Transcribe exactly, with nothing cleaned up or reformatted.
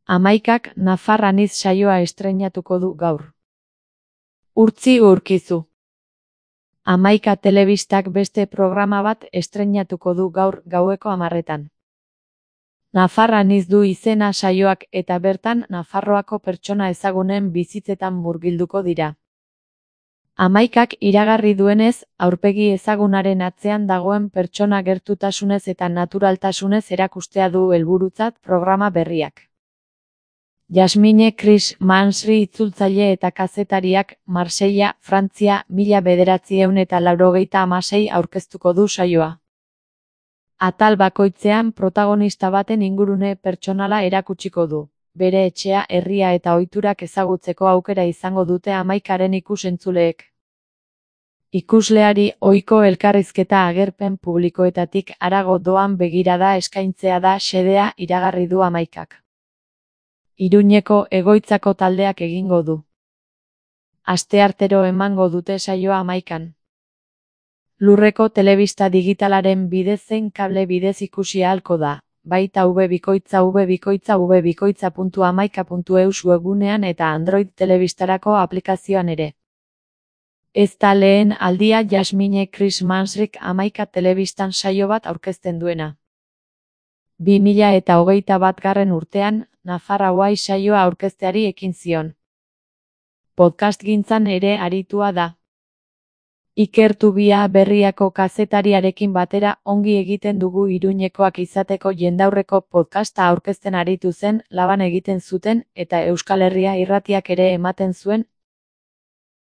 Hamaikak Nafar Anitz saioa estreinatuko du gaur. Urtzi Urkizu. Hamaika telebistak beste programa bat estreinatuko du gaur gaueko hamarretan. Nafar Anitz du izena saioak eta bertan Nafarroako pertsona ezagunen bizitzetan murgilduko dira. Hamaikak iragarri duenez, aurpegi ezagunaren atzean dagoen pertsona gertutasunez eta naturaltasunez erakustea du helburutzat programa berriak. Jasmine Chris Mansri itzultzaile eta kazetariak Marseilla, Frantzia, mila bederatziehun eta laurogeita hamasei aurkeztuko du saioa. Atal bakoitzean protagonista baten ingurune pertsonala erakutsiko du. Bere etxea, herria eta ohiturak ezagutzeko aukera izango dute hamaikaren ikus-entzuleek. Ikusleari ohiko elkarrizketa agerpen publikoetatik harago doan begirada eskaintzea da xedea iragarri du hamaikak. Iruñeko egoitzako taldeak egingo du. Asteartero emango dute saioa hamaikan. Lurreko telebista digitalaren bidez zein kable bidez ikusi ahalko da, baita webikoitza webikoitza webikoitza puntu hamaika puntu eus webgunean eta Android telebistarako aplikazioan ere. Ez da lehen aldia Jasmine Chris Mansrik hamaika telebistan saio bat aurkezten duena. bi mila eta hogeita batgarren urtean, Nafar Hawaii saioa aurkezteari ekin zion. Podcastgintzan ere aritua da. Iker Tubia Berriako kazetariarekin batera ongi egiten dugu Iruñekoak izateko jendaurreko podcasta aurkezten aritu zen, laban egiten zuten eta Euskal Herria irratiak ere ematen zuen